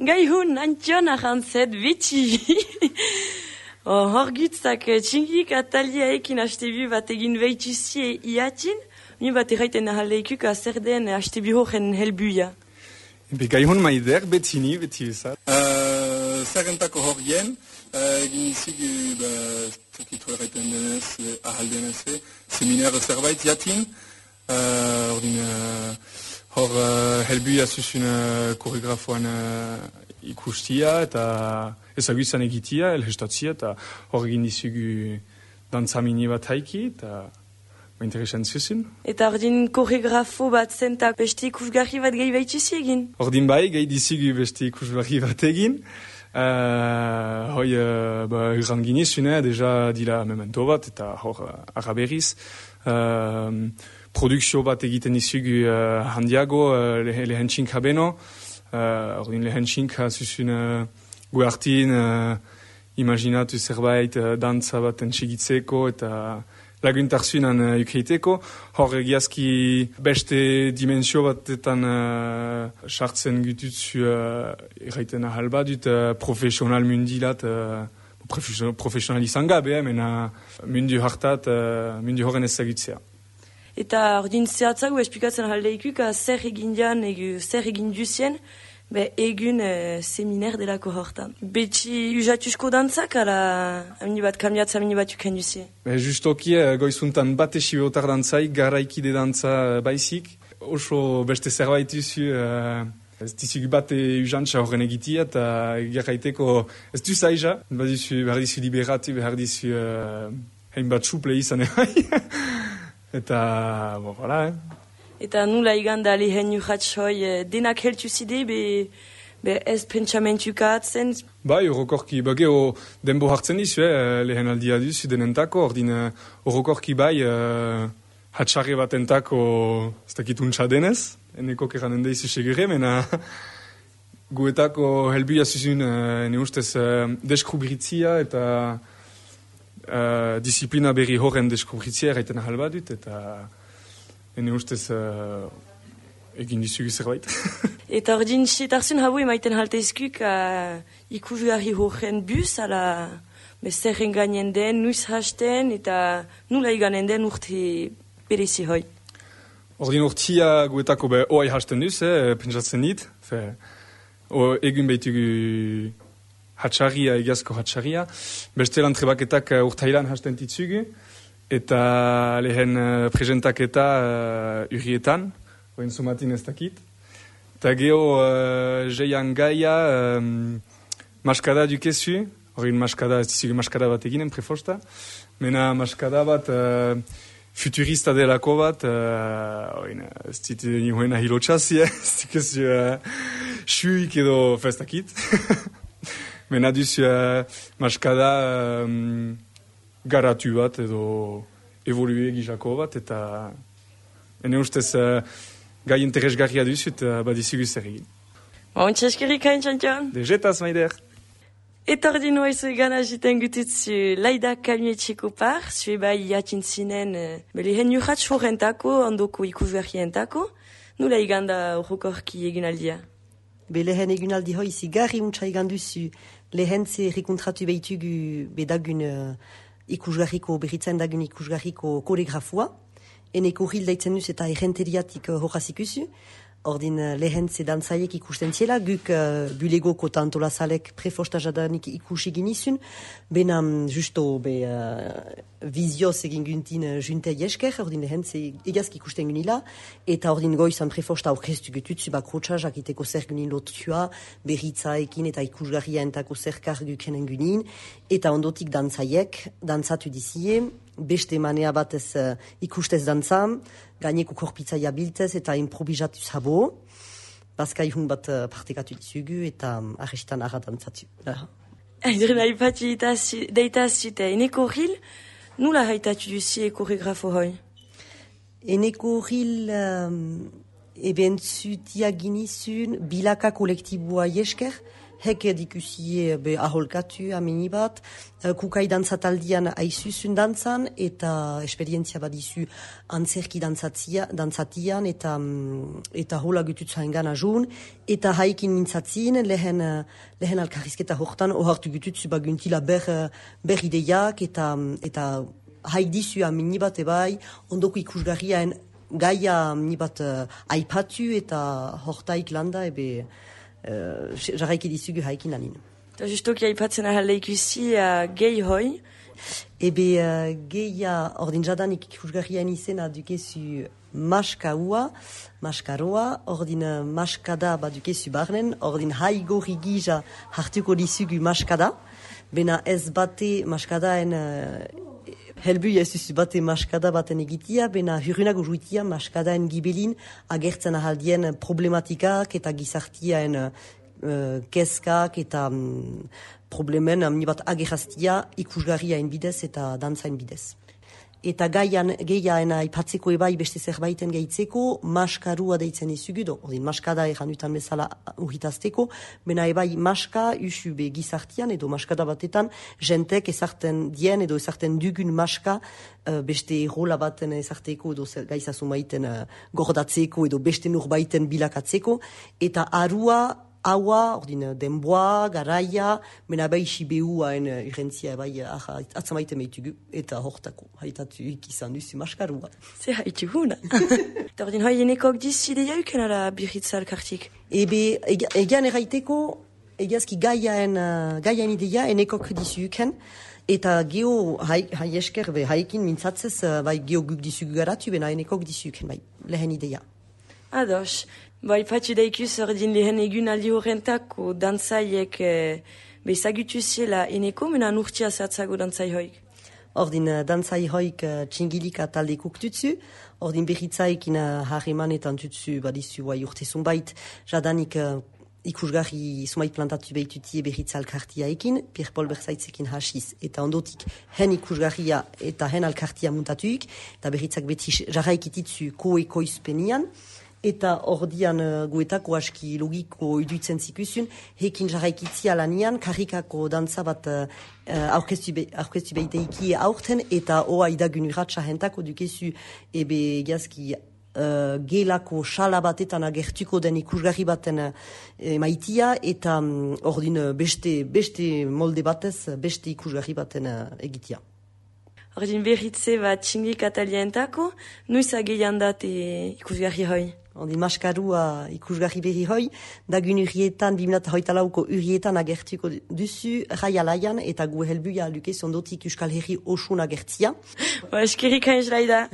Gai hun, antion arantzet beti. Hor gutzak txingik atalia ekin hastebu bat egin behituzie iatin, mi bat erraiten ahaleikuk zer den hastebu horren helbuia. Gai hun maider betini, beti bezat. Zerrentako horien, egin izigu, zekitu erraiten denez, ahaldenez, seminar zerbait jatin, hor helbuia zuzun koreografoan ikustia eta ezagutzen egitia, elhestatzia, eta hor egin dizugu dantzamini bat haiki, eta interesan zuzun. Eta ordin koreografo bat zentak beste ikusgarri bat gehi behituzi egin? Ordin bai, gehi dizugu beste ikusgarri bat egin. Hoi, urran ginezune, deja dila memento bat, eta hor araberiz. Produkzio bat egiten dizugu handiago, lehentxinka beno. Ordin lehentxinka zuzun guartin, imaginatu zerbait dantza bat entxigitzeko eta laguntarzunan ukreiteko. Hor egiazki beste dimensio batetan sartzen gututzu erraiten ahal badut profesional mundilat, profesional izan gabe, mena mundu hartat, mundu horren ezagutzea. Eta ordin zehatzago esplikatzen ahaldeikuk zer egin dian, zer egin duzien, egun seminer delako hortan. Beti usatuzko dantzak, ala amini bat kamiatza, amini bat uken duzie? Justoki goizuntan bat esibiotar dantzaik, garaikide dantza baizik. Oso beste zerbait duzu, ez dizugu bat usantza horren egitia, eta gerraiteko ez du zaiza. Behar dizu liberatu, behar dizu hainbat suple izan Eta, voilà, Eta nula iganda lehen urratxoi denak heltu zide, ez pentsamentukatzen? Bai, orokorki, geho denbo hartzen dizu, lehen aldia duzu denentako, ordin orokorki bai, hatxarri bat entako, ez dakit untsa denez, eneko keranen deizu segure, mena guetako helbuia zuzun, ne ustez, deskrubritzia eta disiplina berri horren deskubritzia erraiten ahal badut, eta ene ustez egin dizugu zerbait. Eta ordin setarzun hau emaiten halteizkuk ikusgarri horren bus, ala zerren gainen den, nuiz hasten, eta nula iganen den urte berezi hoi. Ordin urtia guetako oai hasten duz, pentsatzen dit. Egun behitugu hatxarria, egiazko hatxarria. Beste lan trebaketak urtailan hasten ditzugu. Eta lehen presentaketa urrietan, oen somatin ez dakit. Eta geho jeian gaia maskada dukezu. Horrein maskada, ez dizugu maskada bat eginen, prefosta. Mena maskada bat futurista delako bat. Ez dit nioen ahilotxazi, ez dikezu xuik edo festakit. Mena duzu maskada garatu bat edo evolue gizako bat, eta ene ustez gai interesgarria duzu eta badizugu zer egin. Ontsa eskerrik hain txantxan? Dejetaz, maider! Eta ordin oizu egan agiten gututzu laida kalmietxeko par, zue bai jatin zinen lehen urratx horrentako, ondoko ikusgarrientako, nula iganda horrokorki egin aldia? Lehen egunaldi hoi zigarri untsa egan duzu, lehen ze rekontratu behitugu bedagun ikusgarriko, berritzen dagun ikusgarriko koreografua, eneko hil daitzen duz eta errenteriatik horazikuzu, ordin lehen ze dantzaiek ikusten ziela, guk bulegoko eta antolazalek prefosta jadanik ikusi ginizun, benam justo vizioz egin guntin juntei esker, ordin lehen ze egazki ikusten gunila, eta ordin goizan prefosta aurkeztu gututzu bakrotxa jakiteko zer gunin lotua, berritzaekin eta ikusgarria entako zerkar gukenen gunin, eta ondotik dantzaiek, dantzatu dizie, beste manea batez ikustez dantzam, gaineko korpitzaia biltez eta improvisatuz habo, bazka ihun bat partekatu dizugu eta arrestan arra dantzatu. Aidren haipatu deitazute, eneko hil, nula haitatu duzie koreografo hoi? Eneko hil Eben zutia ginizun bilaka kolektibua jesker, hek dikusie aholkatu amini bat, kukai dantzataldian aizuzun dantzan, eta esperientzia badizu antzerki dantzatian, eta hola gututzaen gana joun, eta haikin mintzatzin, lehen alkarrizketa hortan, ohartu gututzu baguntila ber ideiak, eta haik dizu amini bat ebai, ondoko ikusgarriaen gaia nibat aipatu eta hortaik landa jarraiki dizugu haikin anin. Eta justoki aipatzen ahalde ikusi gehi hoi? Geia ordin jadanik ikusgarriaen izena dukezu maskaroa, ordin maskada badukezu barnen, ordin haigorri gija hartuko dizugu maskada, bena ez bate maskadaen helbuia ez duzu bate maskada baten egitia, bena hurrunago juitia maskadaen gibelin agertzen ahaldien problematikak eta gizartiaen keskak eta problemen amnibat agerraztia ikusgarriaen bidez eta dantzain bidez. Eta gehiaen aipatzeko ebai beste zerbaiten gehitzeko, maskarua deitzen izugu, ordin maskada eranutan bezala urritazteko, bena ebai maska usu be gizartian edo maskada batetan, jentek ezarten dien edo ezarten dugun maska beste rola baten ezarteko edo gaizasumaiten gordatzeko edo beste nurbaiten bilakatzeko, eta arua haua, ordin denboa, garaia, mena bai sibehuaen irentzia bai atzamaiten behitugu, eta hortako, haitatu ikizan duzu maskarua. Ze haituguna. Eta ordin hoi enekok dizu ideia uken ala birritza alkartik? Egean erraiteko, egiazki gaiaen ideia enekok dizu uken, eta geho haiesker haikin mintzatzez, bai geho guk dizu garatu, bena enekok dizu uken, bai, lehen ideia. Ados. Bai, patxi daikuz ordin lehen egun aldi horrentako dantzaiek bezagutu ziela eneko, mena nurtia zehatzago dantzai hoik? Ordin dantzai hoik txingilika talde kuktutzu, ordin berritzaikin harremanetan tutzu badizu bai urtezun bait, jadanik ikusgarri sumait plantatu behitutie berritza alkartia ekin, Pierre-Paul Berzaitzekin hasiz, eta ondotik hen ikusgarria eta hen alkartia muntatuik, eta berritzak beti jarraikititzu koekoizpenian, eta ordian guetako aski logiko iduitzen zikusun, hekin jarraikitzia lanian, karrikako dantza bat aurkeztu behiteiki aurten, eta oa idagun urratxa hentako dukezu gazki gelako xala batetan agertuko den ikusgarri baten maitia, eta ordin beste molde batez, beste ikusgarri baten egitia. Ordin berritze bat txingik atalientako, nuiz ageian dat ikusgarri hoi? Ordin maskarua ikusgarri berri hoi, dagun urrietan, 2008ko urrietan agertuko duzu, raialaian, eta gu helbuia lukez ondotik Euskal Herri osun agertzia. Eskerrik hain laida.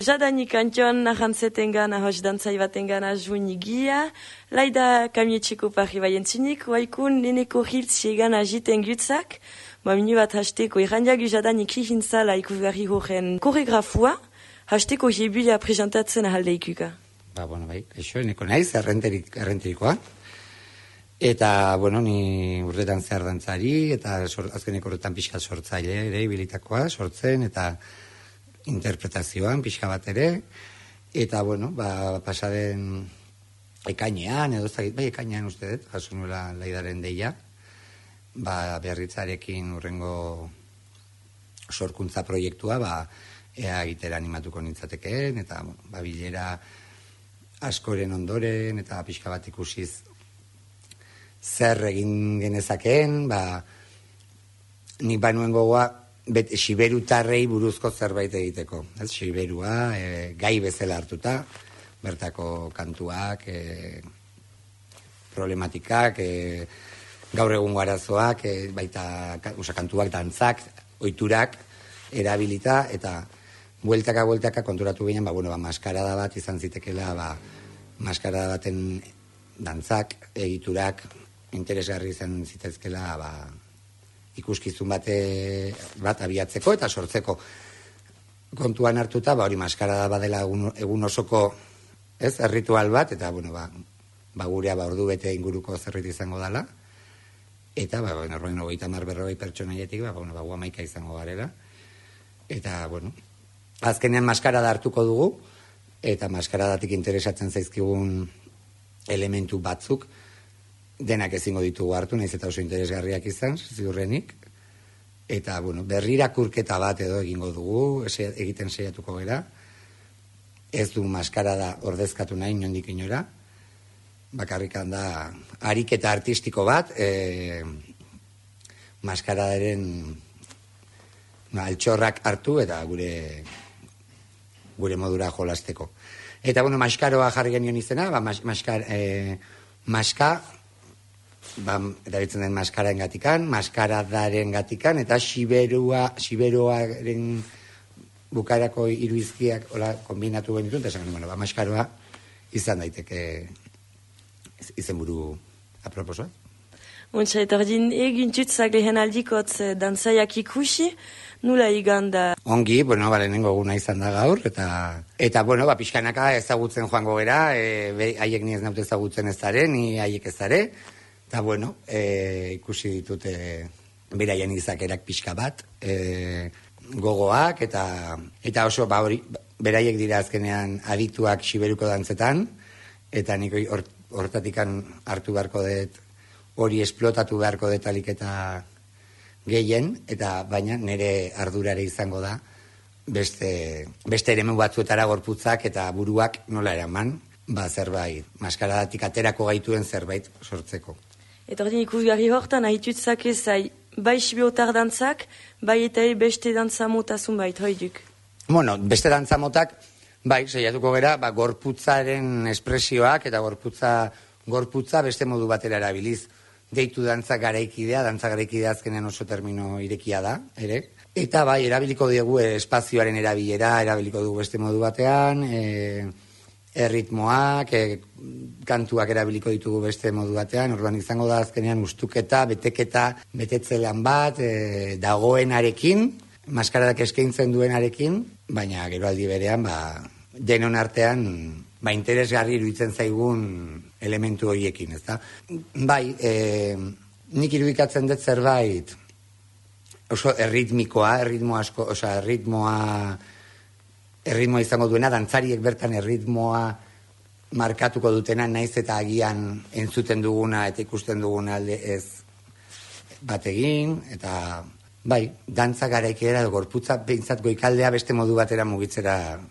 Jadanik antioan nahantzeten gana, hos dantzai baten gana juin igia, laida kamietxeko parri baientzinik, waikun neneko hiltzie gana jiten gutzak, minu bat hasteko irandiagu jadanik ihintzala ikusgarri horren koregrafua, hasteko jebuia presentatzen ahalde ikuka. Bueno, bai, eixo, eneko naiz, errenterikoa. Eta, ni urtetan zehar dantzari, eta azkeneko horretan pixka sortzaile ere, ibilitakoa, sortzen, eta interpretazioan pixka bat ere. Eta, pasaden ekainean, edo bai ekainean uste dut, jaso nuela laidaren deia, berritzarekin urrengo sorkuntza proiektua, ea egitera animatuko nintzatekeen, eta bilera askoren ondoren, eta pixka bat ikusiz zer egin genezakeen, nik banuen gogoa siberutarrei buruzko zerbait egiteko. Siberua, gai bezala hartuta, bertako kantuak, problematikak, gaur egungo arazoak, baita kantuak, dantzak, oiturak, erabilita, eta bueltaka konturatu ginen, maskarada bat izan zitekela, maskarada baten dantzak, egiturak, interesgarri izan zitezkela, ikuskizun bat abiatzeko eta sortzeko. Kontuan hartuta, hori maskarada badela egun osoko ritual bat, eta gurea ordu bete inguruko zerrit izango dela, eta norbain 30-40 pertsonaietik, gu 11 izango garela, eta azkenean maskarada hartuko dugu, eta maskaradatik interesatzen zaizkigun elementu batzuk, denak ezingo ditugu hartu, nahiz eta oso interesgarriak izan, ziurrenik. Eta, bueno, berrirakurketa bat edo egingo dugu, egiten saiatuko gera. Ez du maskarada ordezkatu nahi nondik inora. Bakarrikan da ariketa artistiko bat, maskaradaren altxorrak hartu eta gure modura jolasteko. Eta, bueno, maskaroa jarri genion izena, erabiltzen den maskaren gatikan, maskaradaren gatikan, eta siberoaren bukarako iruizkiak kombinatu genituen, eta esan, bueno, maskaroa izan daiteke izenburu aproposoa. Untsa, eta ordin egin tutzak lehen aldikotz dantzaiak ikusi, nula iganda? Ongi, bueno, lehenengo eguna izan da gaur, eta bueno, pixkanaka ezagutzen joango gera, haiek ni ez naute ezagutzen ez dare, ni haiek ez dare, eta bueno, ikusi ditute beraien izakerak pixka bat, gogoak, eta oso, hori, beraiek dira azkenean adituak siberuko dantzetan, eta nik hortatikan hartu beharko dut, hori esplotatu beharko detalik eta gehien, eta baina nire ardurare izango da beste eremu batzuetara gorputzak eta buruak nola eraman, zerbait, maskaradatik aterako gaituen zerbait sortzeko. Eta ordin ikusgarri hortan, ahitutzak ezai, bai sibiotar dantzak, bai eta beste dantza motazun bait, hoiduk? Bueno, beste dantza motak, bai, saiatuko gera, gorputzaren espresioak eta gorputza beste modu batera erabiliz. Deitu dantza garaikidea azkenean oso termino irekia da, ere. Eta bai, erabiliko dugu espazioaren erabilera, erabiliko dugu beste modu batean, erritmoak, kantuak erabiliko ditugu beste modu batean, orduan izango da azkenean ustuketa, betetzelan bat, dagoenarekin, maskaradak eskaintzen duenarekin, baina gero aldi berean, denon artean, interesgarri iruditzen zaigun elementu horiekin, ezta? Bai, nik irudikatzen dut zerbait oso erritmikoa izango duena, dantzariek bertan erritmoa markatuko dutena, naiz eta agian entzuten duguna eta ikusten duguna alde ez bat egin, eta bai, dantza garaikera gorputza behintzat goikaldea beste modu batera mugitzera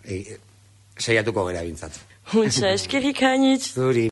saiatuko gera bintzat. Untsa, eskerrik hainitz. Zuri.